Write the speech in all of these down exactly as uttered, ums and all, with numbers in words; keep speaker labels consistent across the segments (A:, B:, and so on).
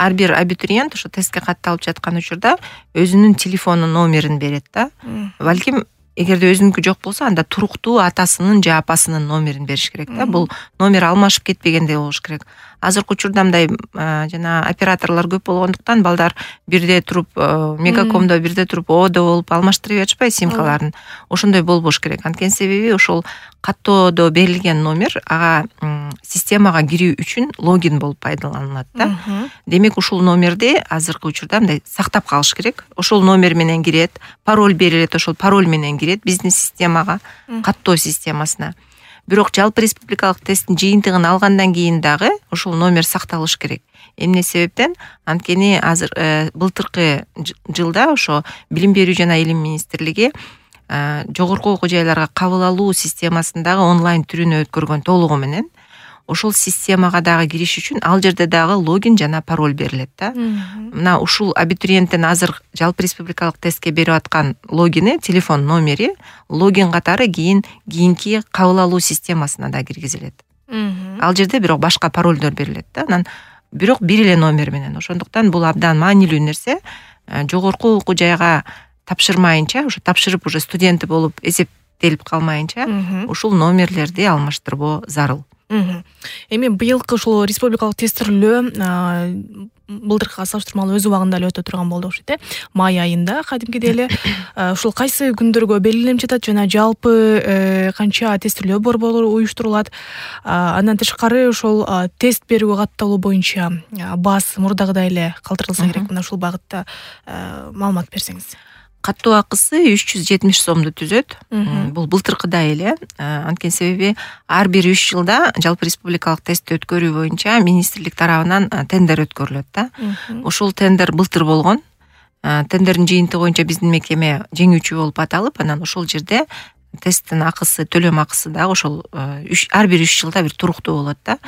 A: ар бир абитуриент ошо тестке катталып жаткан учурда өзүнүн телефонунун номерин берет да. Балким эгерде өзүнүкү жок болсо, анда туруктуу атасынын же апасынын номерин бериш керек да. Бул номер алмашып кетпегендей болуш керек. Азыркы учурда мындай жана операторлор көп болгондуктан балдар бирде туруп, Мегакомдо бирде туруп, Оодо болуп алмаштырып жатышпайбы симкаларын. Ошондой болбош керек. Анткени себеби ошол каттоодо берилген номер ага системага кирүү үчүн логин болуп пайдаланылат да. Демек ушул номерди азыркы учурда мындай сактап калыш керек. Ошол номер менен кирет, пароль берилет, ошол пароль менен кирет бизнес системага, каттоо системасына. Бирок жалпы республикалык тесттин жыйынтыгын алгандан кийин дагы ошол номер сакталыш керек. Эмне себептен? Анткени азыр былтыркы жылда ошо Билим берүү жана Илим министрлиги жогорку окуу жайларга кабыл алуу системасындагы онлайн түрүнө өткөргөн толугу менен ошол системага дагы кириш үчүн ал жерде дагы логин жана пароль берилет да. Мына ушул абитуриенттин азыр жалпы республикалык тестке берип аткан логини, телефон номери логин катары кийин кийинки кабыл алуу системасына да киргизилет. Ал жерде бирок башка паролдор берилет да. Анан бирок бир эле номер менен. Ошондуктан бул абдан маанилүү нерсе. Жогорку окуу жайга тапшырмайынча, ошо тапшырып уже студенти болуп эсептелип калмайынча ушул номерлерди алмаштырбоо зарыл.
B: Эми быйылкы ушул республикалык тестирлөө былтыркыга салыштырмалуу өз убагында эле өтө турган болду окшойт э. Май айында кадимкидей эле ушул кайсы күндөргө белгиленип жатат жана жалпы канча тестирлөө борбору уюштурулат. Андан тышкары ошол тест берүүгө катталуу боюнча баасы мурдагыдай эле калтырылса керек. Мына ушул багытта маалымат берсеңиз.
A: Каттоо акысы үч жүз жетимиш сомду түзөт. Бул былтыркыдай эле. Анткени себеби ар бир үч жылда жалпы республикалык тестти өткөрүү боюнча министрлик тарабынан тендер өткөрүлөт да. Ошол тендер былтыр болгон. Тендердин жыйынтыгы боюнча биздин мекеме жеңүүчү болуп аталып, анан ошол жерде тесттин акысы, төлөм акысы дагы ошол ар бир үч жылда бир туруктуу болот да.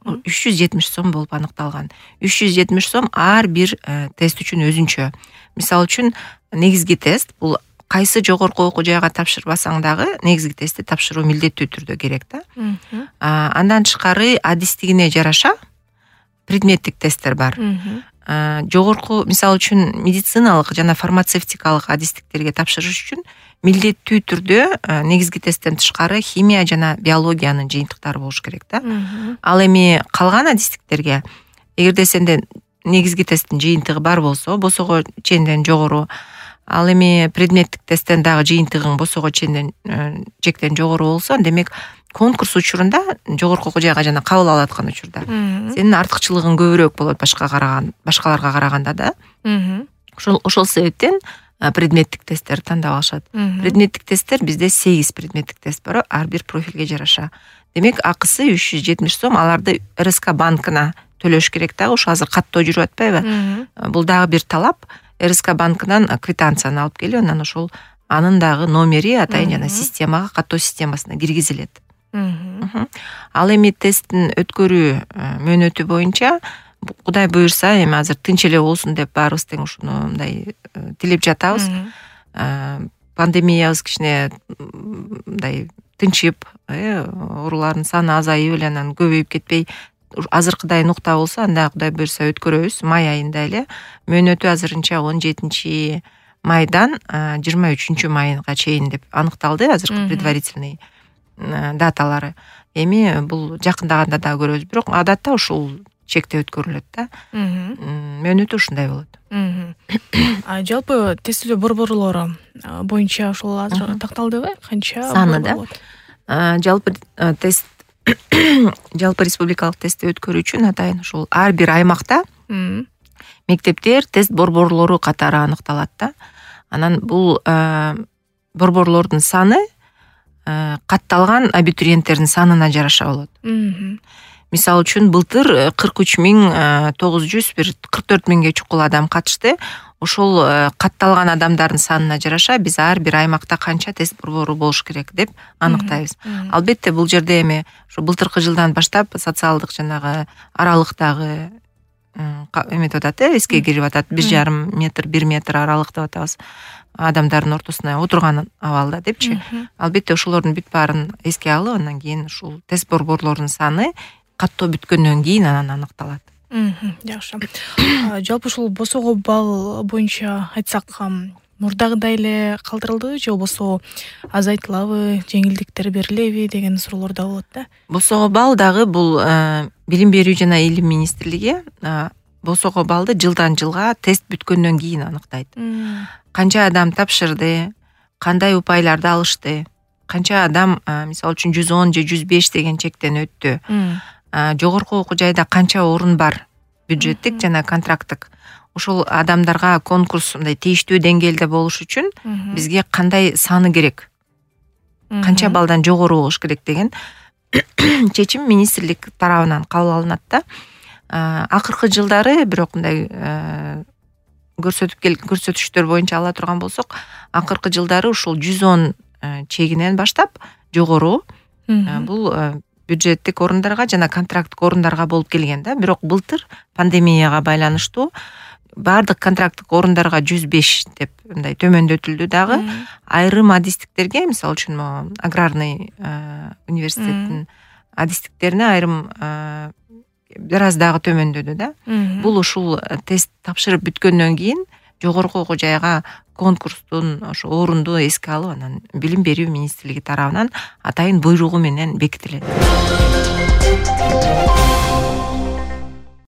A: үч жүз жетимиш сом болуп аныкталган. үч жүз жетимиш сом ар бир тест үчүн өзүнчө. Мисалы үчүн негизги тест бул кайсы жогорку окуу жайга тапшырбасаң дагы негизги тестти тапшыруу милдеттүү түрдө керек да. Андан тышкары адистигине жараша предметтик тесттер бар. Жогорку, мисалы үчүн медициналык жана фармацевтикалык адистиктерге тапшырыш үчүн милдеттүү түрдө негизги тесттен тышкары химия жана биологиянын жыйынтыктары болуш керек да. Ал эми калган адистиктерге эгерде сенде негизги тесттин жыйынтыгы бар болсо, босого чейинден жогору, ал эми предметтик тесттен дагы жыйынтыгың босого чейинден жектен жогору болсо, демек конкурс учурунда жогорку окуу жайга жана кабыл алып аткан учурда сенин артыкчылыгың көбүрөөк болот башка караган, башкаларга караганда да. Ошол ошол себептен предметтик тесттер тандап алышат. Предметтик тесттер бизде сегиз предметтик тест бар, ар бир профилге жараша. Демек акысы үч жүз жетимиш сом, аларды эр эс ка банкына төлөш керек да. Ошо азыр каттоо жүрүп атпайбы? Бул дагы бир талап. эр эс ка банкынан квитанцияны алып келип, анан ошол анын дагы номери атайын жана системага, каттоо системасына киргизилет. Ал эми тесттин өткөрүү мөөнөтү боюнча Кудай буюрса, эми азыр тынч эле болсун деп баарыбыз тең ушуну мындай тилеп жатабыз. Пандемиябыз кичине мындай тынчып, оорулардын саны азайып эле анан көбөйүп кетпей азыркыдай нукта болсо, анда Кудай буюрса өткөрөбүз. Май айында эле мөөнөтү азырынча он жетинчи майдан жыйырма үчүнчү майга чейин деп аныкталды, азыркы предварительный даталары. Эми бул жакындаганда да көрөбүз, бирок адатта ушул чекте өткөрүлөт да. Мөөнөтү ушундай болот.
B: Жалпы тестилөө борборлору боюнча ошол азыр такталдыбы? Канча
A: саны да? Жалпы тест жалпы республикалык тестти өткөрүү үчүн атайын ушул ар бир аймакта мектептер, тест борборлору катары аныкталат да. Анан бул борборлордун саны катталган абитуриенттердин санына жараша болот. Мисалы үчүн былтыр кырк үч миң тогуз жүз кырк төрт миңге чукул адам катышты. Ошол катталган адамдардын санына жараша биз ар бир аймакта канча тест борбору болуш керек деп аныктайбыз. Албетте бул жерде эми ошо былтыркы жылдан баштап социалдык жанагы аралыктагы эметип атат, эске кирип атат. бир жарым метр, бир метр аралык деп атабыз. Адамдардын ортосуна отурган абалда депчи. Албетте ошолордун бүт баарын эске алып, андан кийин ушул тест борборлорунун саны каттоо бүткөндөн кийин анан аныкталат.
B: Жакшы. Жалпы ушул босоого балл боюнча айтсак, мурдагыдай эле калтырылдыбы же болбосо азайтылабы, жеңилдиктер берилеби деген суроолор да болот да.
A: Босоого балл дагы бул билим берүү жана илим министрлиги босоого баллды жылдан жылга тест бүткөндөн кийин аныктайт. Канча адам тапшырды, кандай упайларды алышты, канча адам мисалы үчүн жүз он же жүз беш деген чектен өттү, жогорку окуу жайда канча орун бар, бюджеттик жана контракттык, ошол адамдарга конкурс мындай тийиштүү деңгээлде болуш үчүн бизге кандай саны керек, канча балдан жогору болуш керек деген чечим министрлик тарабынан кабыл алынат да. Акыркы жылдары бирок мындай көрсөтүп кел көрсөтүштөр боюнча ала турган болсок, акыркы жылдары ушул жүз он чегинен баштап жогору бул бюджеттик орундарга жана контракттык орундарга болуп келген да. Бирок былтыр пандемияга байланыштуу баардык контракттык орундарга жүз беш деп мындай төмөндөтүлдү дагы. Айрым адистиктерге, мисалы үчүн аграрный университеттин адистиктерине айрым бир аз дагы төмөндөдү да. Бул ушул тест тапшырып бүткөндөн кийин жогорку окуу жайга конкурстун ошо орунду эске алып, анан билим берүү министрлиги тарабынан атайын буйругу менен бекитилет.